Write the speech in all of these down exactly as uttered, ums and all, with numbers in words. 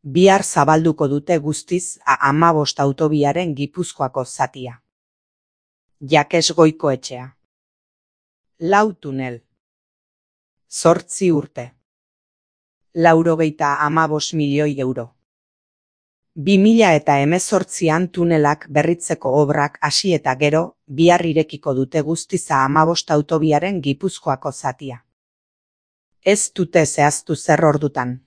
Bihar zabalduko dute guztiz hamabost autobiaren Gipuzkoako zatia. Jakes Goikoetxea. Lau tunel. Zortzi urte. Laurogeita hamabost milioi euro. Bi mila eta hemezortzian tunelak berritzeko obrak hasi eta gero, bihar irekiko dute guztiz hamabost autobiaren Gipuzkoako zatia. Ez dute zehaztu zer ordutan.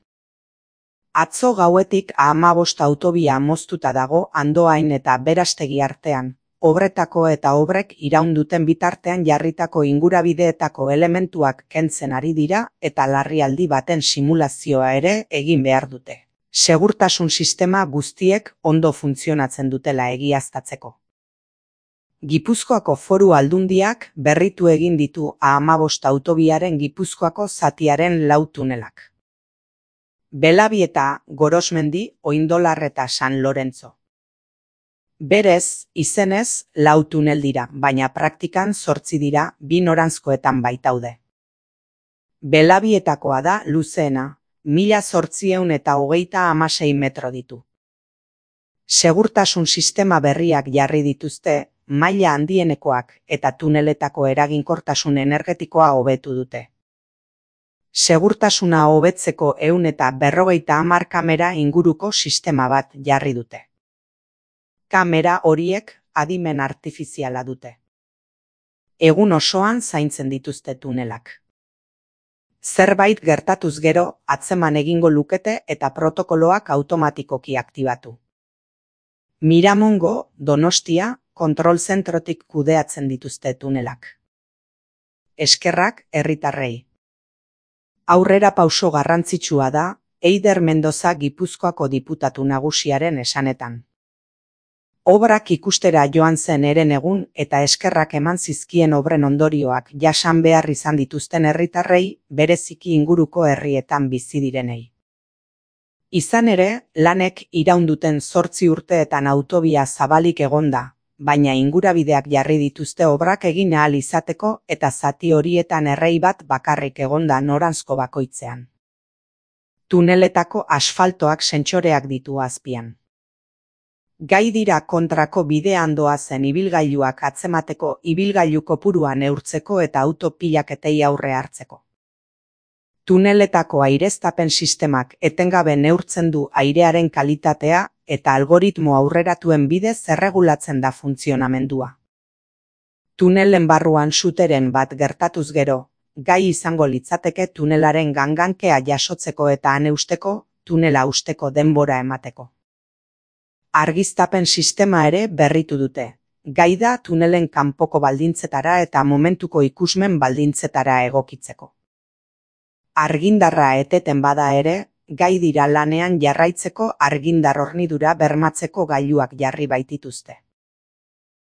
Atzo gauetik hamabost autobia moztuta dago Andoain eta Berastegi artean, obretako eta obrek iraun duten bitartean jarritako ingurabideetako elementuak kentzen ari dira eta larrialdi baten simulazioa ere egin behar dute. Segurtasun sistema guztiek ondo funtzionatzen dutela egiaztatzeko. Gipuzkoako Foru Aldundiak berritu egin ditu hamabost autobiaren Gipuzkoako zatiaren lau tunelak. Belabieta, Gorosmendi, Oindolar eta San Lorenzo. Berez, izenez, lau tunel dira, baina praktikan zortzi dira, bi noranzkoetan baitaude. Belabietakoa da luzeena, mila zortziehun eta hogeita hamasei metro ditu. Segurtasun sistema berriak jarri dituzte, maila handienekoak eta tuneletako eraginkortasun energetikoa hobetu dute. Segurtasuna hobetzeko ehun eta berrogeita hamar kamera inguruko sistema bat jarri dute. Kamera horiek adimen artifiziala dute. Egun osoan zaintzen dituzte tunelak. Zerbait gertatuz gero atzeman egingo lukete eta protokoloak automatikoki aktibatu. Miramongo, Donostia, kontrol zentrotik kudeatzen dituzte tunelak. Eskerrak herritarrei. Aurrera pauso garrantzitsua da, Eider Mendoza Gipuzkoako diputatu nagusiaren esanetan. Obrak ikustera joan zen eren egun eta eskerrak eman zizkien obren ondorioak jasan behar izan dituzten herritarrei, bereziki inguruko herrietan bizi direnei. Izan ere, lanek iraun duten zortzi urteetan autobia zabalik egonda, baina ingurabideak jarri dituzte obrak egin ahal izateko eta zati horietan errei bat bakarrik egonda noranzko bakoitzean. Tuneletako asfaltoak sentsoreak ditu azpian. Gai dira kontrako bidean doazen ibilgailuak atzemateko ibilgailu kopurua neurtzeko eta auto pilaketei aurre hartzeko. Tuneletako aireztapen sistemak etengabe neurtzen du airearen kalitatea eta algoritmo aurreratuen bidez erregulatzen da funtzionamendua. Tunelen barruan suteren bat gertatuz gero, gai izango litzateke tunelaren gangankea jasotzeko eta han eusteko, tunela usteko denbora emateko. Argiztapen sistema ere berritu dute. Gai da tunelen kanpoko baldintzetara eta momentuko ikusmen baldintzetara egokitzeko. Argindarra eteten bada ere, gai dira lanean jarraitzeko argindar hornidura bermatzeko gailuak jarri baitituzte.